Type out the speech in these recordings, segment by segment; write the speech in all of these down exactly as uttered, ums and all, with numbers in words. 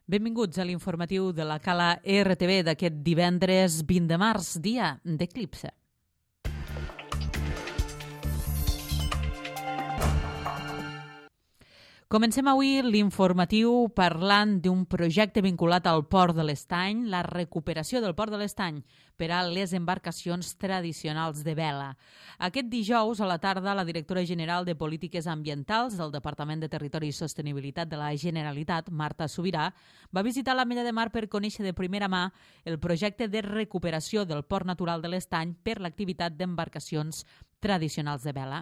Benvinguts a l'informatiu de la Cala R T V d'aquest divendres vint de març, dia d'eclipse. Comencem avui l'informatiu parlant d'un projecte vinculat al Port de l'Estany, la recuperació del Port de l'Estany per a les embarcacions tradicionals de vela. Aquest dijous a la tarda, la directora general de Polítiques Ambientals del Departament de Territori i Sostenibilitat de la Generalitat, Marta Subirà, va visitar l'Ametlla de Mar per conèixer de primera mà el projecte de recuperació del Port Natural de l'Estany per l'activitat d'embarcacions tradicionals de vela.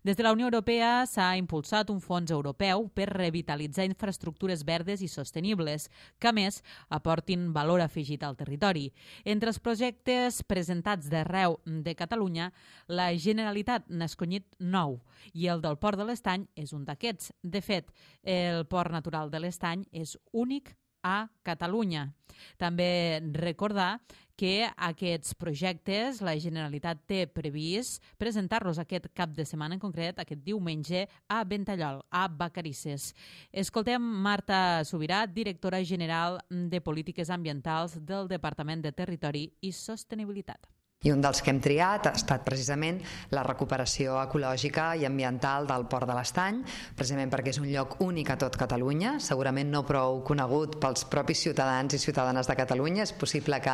Des de la Unió Europea s'ha impulsat un fons europeu per revitalitzar infraestructures verdes i sostenibles que, a més, aportin valor afegit al territori. Entre els projectes presentats d'arreu de Catalunya, la Generalitat n'ha escollit nou i el del Port de l'Estany és un d'aquests. De fet, el Port Natural de l'Estany és únic a Catalunya. També recordar que aquests projectes la Generalitat té previst presentar-los aquest cap de setmana, en concret aquest diumenge, a Ventallol, a Vacarisses. Escoltem Marta Subirà, directora general de Polítiques Ambientals del Departament de Territori i Sostenibilitat. I un dels que hem triat ha estat precisament la recuperació ecològica i ambiental del Port de l'Estany, precisament perquè és un lloc únic a tot Catalunya, segurament no prou conegut pels propis ciutadans i ciutadanes de Catalunya. És possible que,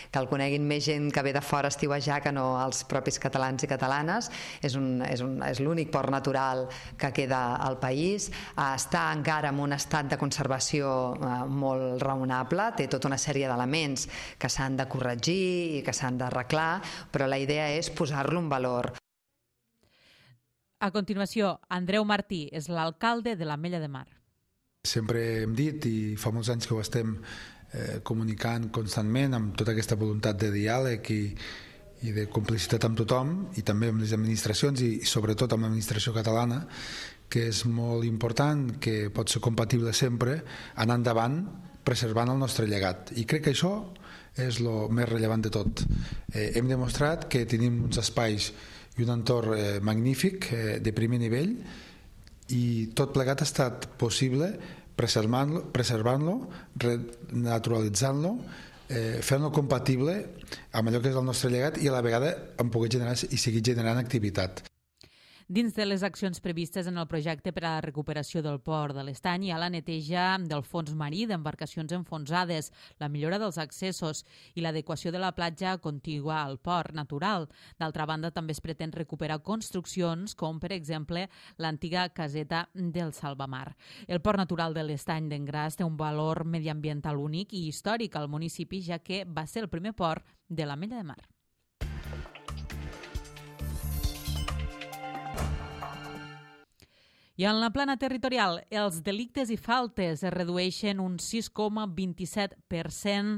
que el coneguin més gent que ve de fora a estiuejar que no els propis catalans i catalanes. És, un, és, un, és l'únic port natural que queda al país. Està encara en un estat de conservació molt raonable, té tota una sèrie d'elements que s'han de corregir i que s'han d'arreglar, però la idea és posar-lo en valor. A continuació, Andreu Martí és l'alcalde de l'Ametlla de Mar. Sempre hem dit, i fa molts anys que ho estem eh, comunicant constantment, amb tota aquesta voluntat de diàleg i, i de complicitat amb tothom, i també amb les administracions i, i sobretot amb l'administració catalana, que és molt important, que pot ser compatible sempre, anar endavant preservant el nostre llegat. I crec que això és el més rellevant de tot. Eh, hem demostrat que tenim uns espais i un entorn eh, magnífic, eh, de primer nivell, i tot plegat ha estat possible preservant-lo, preservant-lo, renaturalitzant-lo, eh, fent-lo compatible amb allò que és el nostre llegat i a la vegada en poder generar i seguir generant activitat. Dins de les accions previstes en el projecte per a la recuperació del Port de l'Estany hi ha la neteja del fons marí d'embarcacions enfonsades, la millora dels accessos i l'adequació de la platja contigua al port natural. D'altra banda, també es pretén recuperar construccions com, per exemple, l'antiga caseta del Salvamar. El Port Natural de l'Estany d'Engràs té un valor mediambiental únic i històric al municipi, ja que va ser el primer port de l'Ametlla de Mar. I en la plana territorial, els delictes i faltes es redueixen un sis coma vint-i-set per cent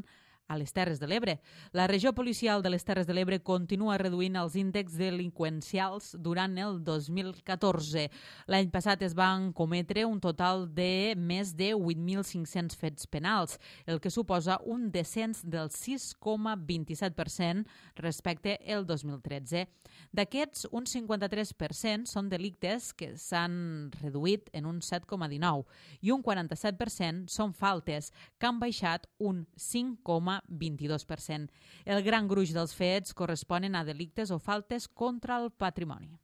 a les Terres de l'Ebre. La regió policial de les Terres de l'Ebre continua reduint els índexs delinqüencials durant el dos mil catorze. L'any passat es van cometre un total de més de vuit mil cinc-cents fets penals, el que suposa un descens del sis coma vint-i-set per cent respecte al dos mil tretze. D'aquests, un cinquanta-tres per cent són delictes que s'han reduït en un set coma dinou i un quaranta-set per cent són faltes, que han baixat un cinc coma vint-i-dos per cent. El gran gruix dels fets corresponen a delictes o faltes contra el patrimoni.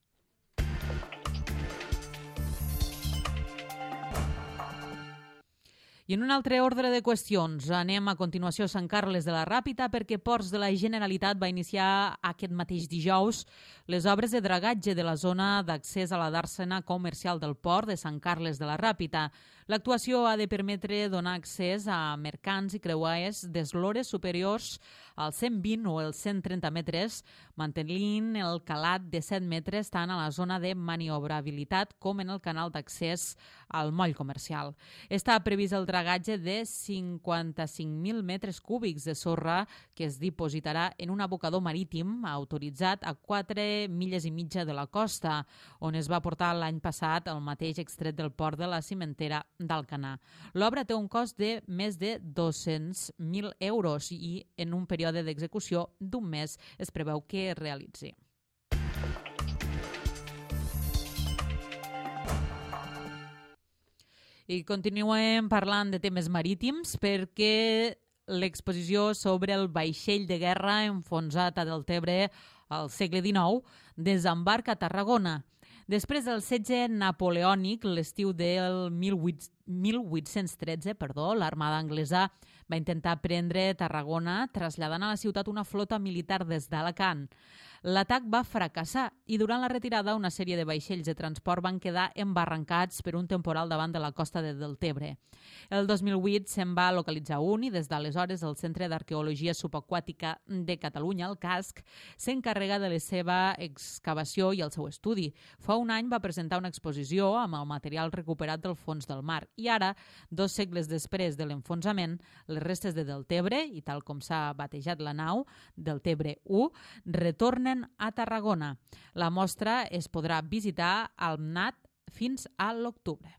I en un altre ordre de qüestions, anem a continuació a Sant Carles de la Ràpita perquè Ports de la Generalitat va iniciar aquest mateix dijous les obres de dragatge de la zona d'accés a la dàrsena comercial del port de Sant Carles de la Ràpita. L'actuació ha de permetre donar accés a mercants i creuers d'eslores superiors als cent vint o els cent trenta metres, mantenint el calat de set metres tant a la zona de maniobrabilitat com en el canal d'accés al moll comercial. Està previst el dragatge de cinquanta-cinc mil metres cúbics de sorra que es dipositarà en un abocador marítim autoritzat a quatre milles i mitja de la costa, on es va portar l'any passat el mateix extret del port de la cimentera d'Alcanar. L'obra té un cost de més de dos-cents mil euros i en un període d'execució d'un mes es preveu que es realitzi. I continuem parlant de temes marítims perquè l'exposició sobre el vaixell de guerra enfonsat a Deltebre al segle dinou desembarca a Tarragona. Després del setge napoleònic, l'estiu del mil vuit-cents tretze, perdó, l'armada anglesa va intentar prendre Tarragona, traslladant a la ciutat una flota militar des d'Alacant. L'atac va fracassar i durant la retirada una sèrie de vaixells de transport van quedar embarrancats per un temporal davant de la costa de Deltebre. El dos mil vuit se'n va localitzar un i des d'aleshores el Centre d'Arqueologia Subaquàtica de Catalunya, el CASC, s'encarrega de la seva excavació i el seu estudi. Fa un any va presentar una exposició amb el material recuperat del fons del mar i ara, dos segles després de l'enfonsament, les restes de Deltebre, i tal com s'ha batejat la nau, Deltebre u, retornen a Tarragona. La mostra es podrà visitar al M N A T fins a l'octubre.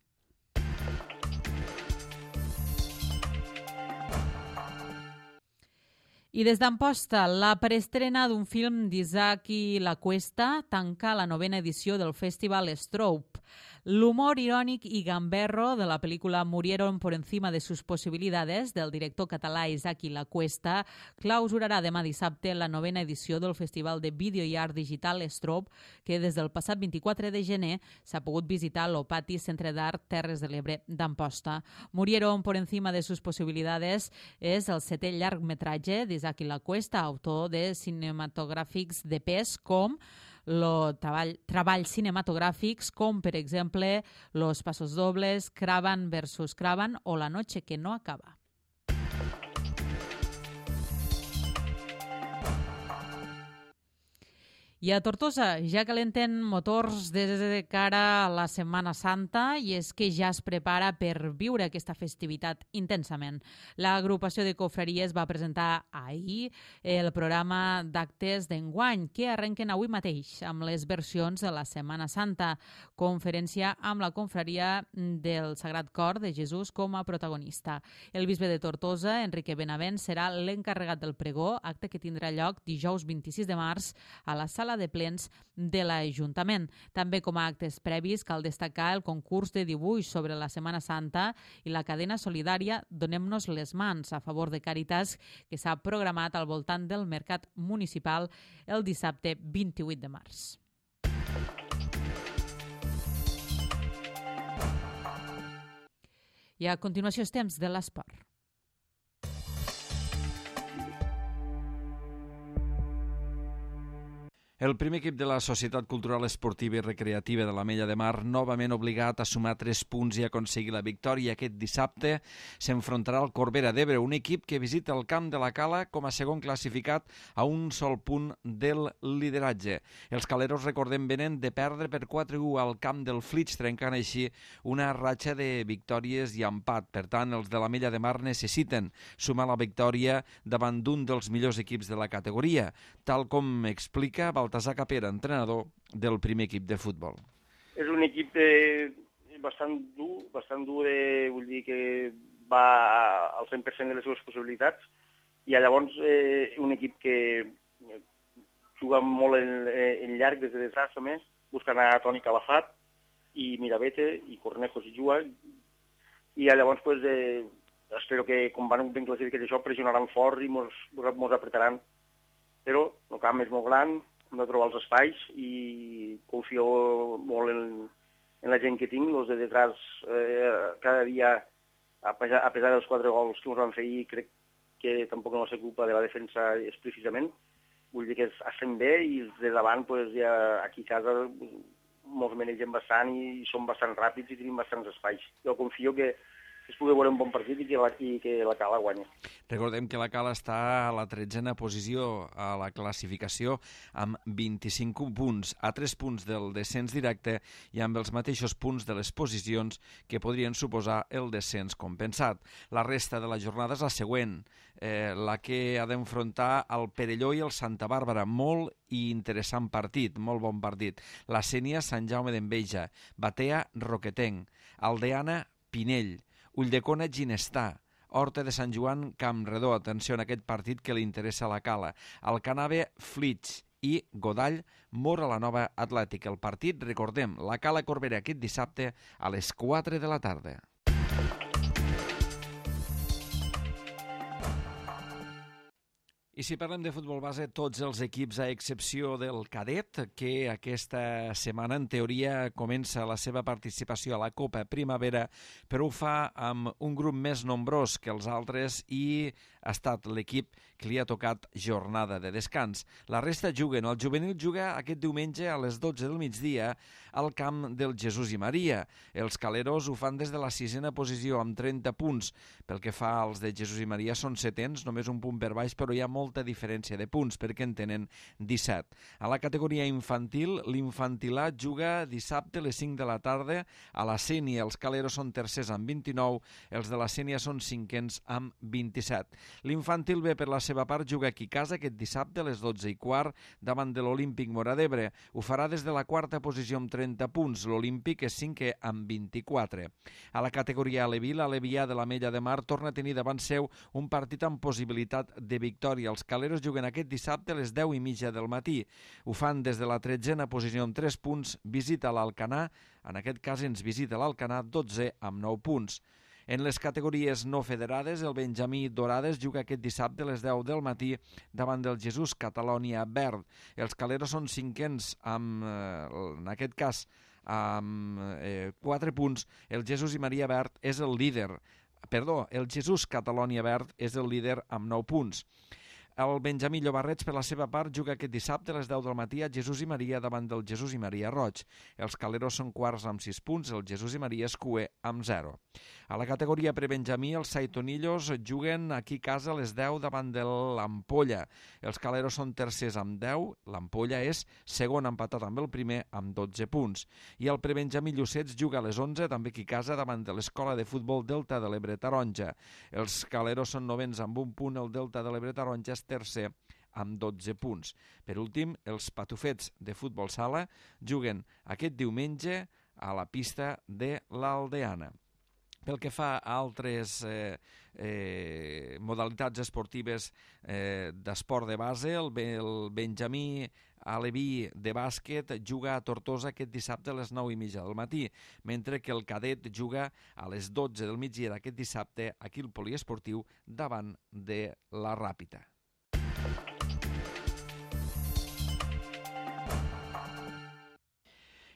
I des d'Amposta, la preestrena d'un film d'Isaki La Cuesta tanca la novena edició del Festival Strobe. L'humor irònic i gamberro de la pel·lícula Murieron por encima de sus posibilidades, del director català Isaki La Cuesta, clausurarà demà dissabte la novena edició del Festival de Vídeo i Art Digital Strobe, que des del passat vint-i-quatre de gener s'ha pogut visitar a l'Opati Centre d'Art Terres de l'Ebre d'Amposta. Murieron por encima de sus posibilidades és el setè llargmetratge d'Isaki La Cuesta, autor de cinematogràfics de pes com Lo treball, treballs cinematogràfics com, per exemple, Los Pasos Dobles, Cravan versus Cravan o La noche que no acaba. I a Tortosa ja calenten motors des de cara a la Setmana Santa i és que ja es prepara per viure aquesta festivitat intensament. L'agrupació de confraries va presentar ahir el programa d'actes d'enguany que arrenquen avui mateix amb les versions de la Setmana Santa, conferència amb la confraria del Sagrat Cor de Jesús com a protagonista. El bisbe de Tortosa, Enrique Benavent, serà l'encarregat del pregó, acte que tindrà lloc dijous vint-i-sis de març a la sala de plens de l'Ajuntament. També com a actes previs cal destacar el concurs de dibuix sobre la Setmana Santa i la cadena solidària Donem-nos les mans a favor de Càritas que s'ha programat al voltant del mercat municipal el dissabte vint-i-vuit de març. I a continuació és temps de l'esport. El primer equip de la Societat Cultural Esportiva i Recreativa de l'Ametlla de Mar, novament obligat a sumar tres punts i aconseguir la victòria aquest dissabte, s'enfrontarà al Corbera d'Ebre, un equip que visita el camp de la Cala com a segon classificat a un sol punt del lideratge. Els caleros, recordem, venen de perdre per quatre a u al camp del Flix, trencant així una ratxa de victòries i empat. Per tant, els de l'Ametlla de Mar necessiten sumar la victòria davant d'un dels millors equips de la categoria, tal com explica Baltasar Capera, entrenador del primer equip de futbol. És un equip eh, bastant dur, bastant dur, de, vull dir que va al cent per cent de les seves possibilitats, i llavors eh, un equip que juga molt en, en llarg des de detrás, a més, buscant a Toni Calafat i Mirabete i Cornejo si juga, i llavors pues, eh, espero que com van ben classificats això pressionaran fort i mos, mos apretaran, però el camp és molt gran, hem de trobar els espais i confio molt en, en la gent que tinc. Els de detrás eh, cada dia, a pesar, a pesar dels quatre gols que ens van fer ahir, crec que tampoc no va ser culpa de la defensa explícitament. Vull dir que estem bé i els de davant, pues, ja, aquí a casa, molts manegem bastant i som bastant ràpids i tenim bastants espais. Jo confio que es pugui veure un bon partit i que la, i que la Cala guanya. Recordem que la Cala està a la tretzena posició a la classificació amb vint-i-cinc punts, a tres punts del descens directe i amb els mateixos punts de les posicions que podrien suposar el descens compensat. La resta de la jornada és la següent, eh, la que ha d'enfrontar el Perelló i el Santa Bàrbara. Molt i interessant partit, molt bon partit. La Sénia, Sant Jaume d'Enveja, Batea, Roquetenc, Aldeana, Pinell, Ulldecona, Ginestà, Horta de Sant Joan, Campredó. Atenció en aquest partit que li interessa a la Cala. Alcanave, Flix i Godall, Mora la Nova Atlètic. El partit, recordem, la Cala Corbera aquest dissabte a les quatre de la tarda. I si parlem de futbol base, tots els equips, a excepció del cadet, que aquesta setmana, en teoria, comença la seva participació a la Copa Primavera, però ho fa amb un grup més nombrós que els altres i ha estat l'equip que li ha tocat jornada de descans. La resta juguen. El juvenil juga aquest diumenge a les dotze del migdia al camp del Jesús i Maria. Els caleros ho fan des de la sisena posició amb trenta punts. Pel que fa als de Jesús i Maria són setens, només un punt per baix, però hi ha molta diferència de punts perquè en tenen disset. A la categoria infantil, l'infantilà juga dissabte a les cinc de la tarda a la Sénia. Els caleros són tercers amb vint-i-nou, els de la Sénia són cinquens amb vint-i-set. L'infantil B, per la seva part, juga aquí a casa aquest dissabte a les dotze i quart davant de l'Olímpic Móra d'Ebre. Ho farà des de la quarta posició amb trenta punts. L'Olímpic és cinquè amb vint-i-quatre. A la categoria Aleví, l'Alevià de l'Ametlla de Mar torna a tenir davant seu un partit amb possibilitat de victòria. Els caleros juguen aquest dissabte a les deu i mitja del matí. Ho fan des de la tretzena posició amb tres punts. Visita l'Alcanar, en aquest cas ens visita l'Alcanar, dotze amb nou punts. En les categories no federades, el Benjamí Dorades juga aquest dissabte a les deu del matí davant del Jesús Catalònia Verd. Els caleros són cinquens amb, en aquest cas, amb eh, quatre punts. El Jesús i Maria Verd és el líder. Perdó, el Jesús Catalònia Verd és el líder amb nou punts. El Benjamí Llobarrets, per la seva part, juga aquest dissabte a les deu del matí a Jesús i Maria davant del Jesús i Maria Roig. Els caleros són quarts amb sis punts, el Jesús i Maria és cuer amb zero. A la categoria prebenjamí, els Saitonillos juguen aquí a casa a les deu davant de l'Ampolla. Els caleros són tercers amb deu, l'Ampolla és segon empatat amb el primer amb dotze punts. I el prebenjamí Llucets juga a les onze, també aquí a casa, davant de l'Escola de Futbol Delta de l'Ebre Taronja. Els caleros són novens amb un punt, el Delta de l'Ebre Taronja és tercer amb dotze punts. Per últim, els patufets de futbol sala juguen aquest diumenge a la pista de l'Aldeana. Pel que fa a altres eh, eh, modalitats esportives eh, d'esport de base, el, el Benjamí Aleví de bàsquet juga a Tortosa aquest dissabte a les nou i mitja del matí, mentre que el cadet juga a les dotze del migdia d'aquest dissabte aquí al poliesportiu davant de la Ràpita.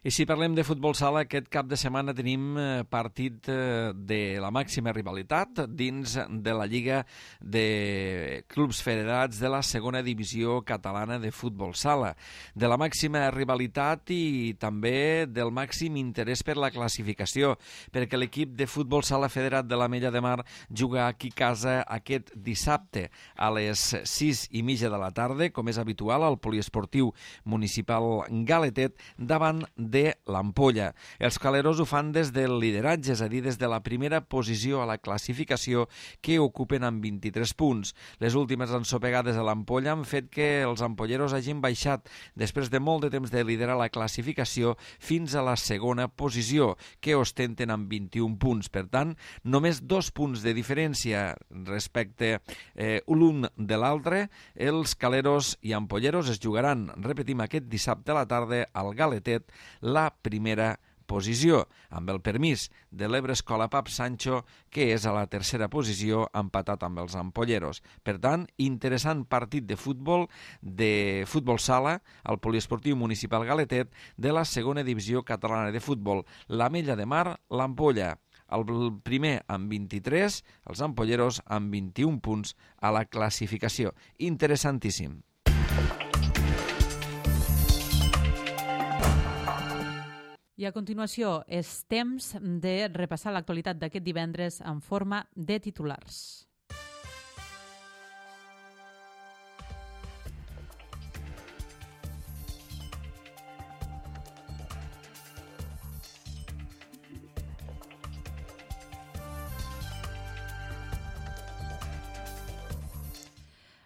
I si parlem de futbol sala, aquest cap de setmana tenim partit de la màxima rivalitat dins de la Lliga de Clubs Federats de la segona divisió catalana de futbol sala. De la màxima rivalitat i també del màxim interès per la classificació, perquè l'equip de futbol sala federat de l'Ametlla de Mar juga aquí a casa aquest dissabte a les sis i mitja de la tarda, com és habitual, al poliesportiu municipal Galetet, davant de l'Ampolla. Els caleros ho fan des del lideratge, és a dir, des de la primera posició a la classificació, que ocupen amb vint-i-tres punts. Les últimes ensopegades a l'Ampolla han fet que els ampolleros hagin baixat després de molt de temps de liderar la classificació fins a la segona posició, que ostenten amb vint-i-un punts. Per tant, només dos punts de diferència respecte eh, l'un de l'altre. Els caleros i ampolleros es jugaran, repetim, aquest dissabte a la tarda al Galetet, la primera posició, amb el permís de l'Ebre Escola Pap Sancho, que és a la tercera posició, empatat amb els ampolleros. Per tant, interessant partit de futbol, de futbol sala, al poliesportiu municipal Galetet, de la segona divisió catalana de futbol. l'Ametlla de Mar, l'Ampolla. El primer amb vint-i-tres, els ampolleros amb vint-i-un punts a la classificació. Interessantíssim. I a continuació és temps de repassar l'actualitat d'aquest divendres en forma de titulars.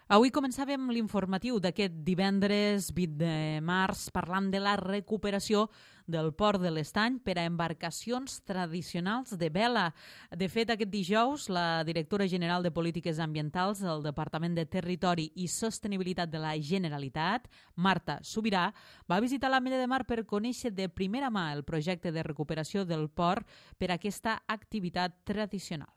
Avui començàvem l'informatiu d'aquest divendres vint de març parlant de la recuperació del port de l'Estany per a embarcacions tradicionals de vela. De fet, aquest dijous, la directora general de Polítiques Ambientals del Departament de Territori i Sostenibilitat de la Generalitat, Marta Subirà, va visitar l'Ametlla de Mar per conèixer de primera mà el projecte de recuperació del port per a aquesta activitat tradicional.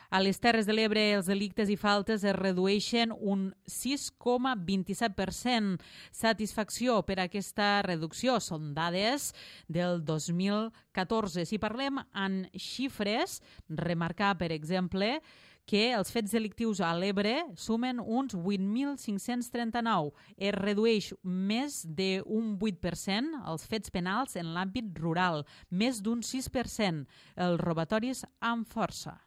A les Terres de l'Ebre els delictes i faltes es redueixen un sis coma vint-i-set per cent. Satisfacció per aquesta reducció. Són dades del dos mil catorze. Si parlem en xifres, remarcar, per exemple, que els fets delictius a l'Ebre sumen uns vuit mil cinc-cents trenta-nou. Es redueix més d'un vuit per cent els fets penals en l'àmbit rural, més d'un sis per cent els robatoris amb força.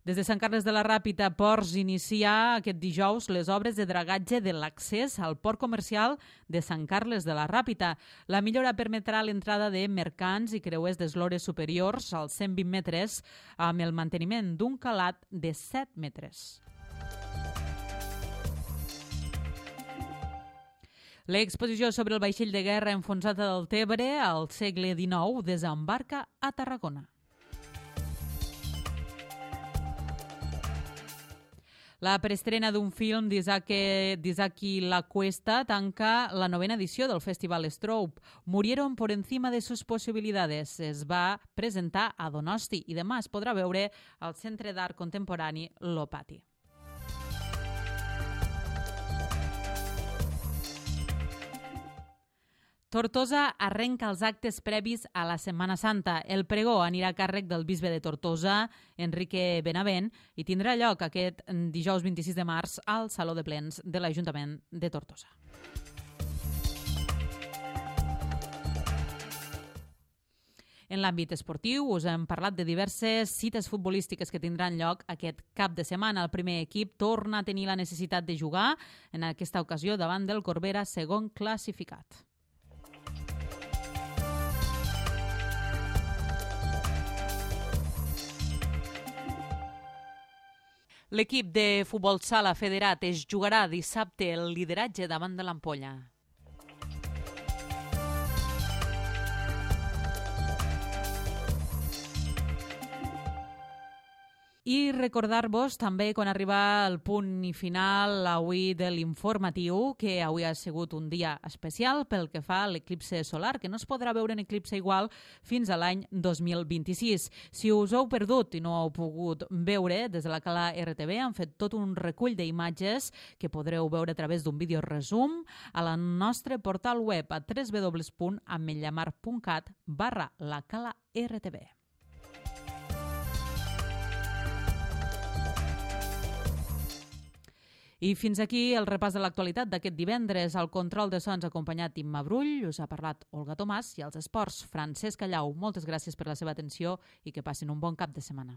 Des de Sant Carles de la Ràpita, Ports inicia aquest dijous les obres de dragatge de l'accés al port comercial de Sant Carles de la Ràpita. La millora permetrà l'entrada de mercants i creuers d'eslores superiors als cent vint metres amb el manteniment d'un calat de set metres. L'exposició sobre el vaixell de guerra enfonsat a Deltebre al segle dinou desembarca a Tarragona. La preestrena d'un film d'Isaki La Cuesta tanca la novena edició del Festival Strobe. Murieron por encima de sus posibilidades. Es va presentar a Donosti i demà es podrà veure al Centre d'Art Contemporani Lopati. Tortosa arrenca els actes previs a la Setmana Santa. El pregó anirà a càrrec del bisbe de Tortosa, Enrique Benavent, i tindrà lloc aquest dijous vint-i-sis de març al Saló de Plens de l'Ajuntament de Tortosa. En l'àmbit esportiu us hem parlat de diverses cites futbolístiques que tindran lloc aquest cap de setmana. El primer equip torna a tenir la necessitat de jugar, en aquesta ocasió davant del Corbera, segon classificat. L'equip de futbol sala federat es jugarà dissabte el lideratge davant de l'Ampolla. I recordar-vos també, quan arriba el punt i final avui de l'informatiu, que avui ha sigut un dia especial pel que fa a l'eclipse solar, que no es podrà veure en eclipse igual fins a l'any dos mil vint-i-sis. Si us heu perdut i no heu pogut veure, des de la Cala R T V han fet tot un recull d'imatges que podreu veure a través d'un vídeo resum a la nostre portal web a w w w punt ametlllamar punt cat barra la Cala R T V. I fins aquí el repàs de l'actualitat d'aquest divendres. Al control de sons acompanyat Imma Brull, us ha parlat Olga Tomàs, i als esports Francesc Callau. Moltes gràcies per la seva atenció i que passin un bon cap de setmana.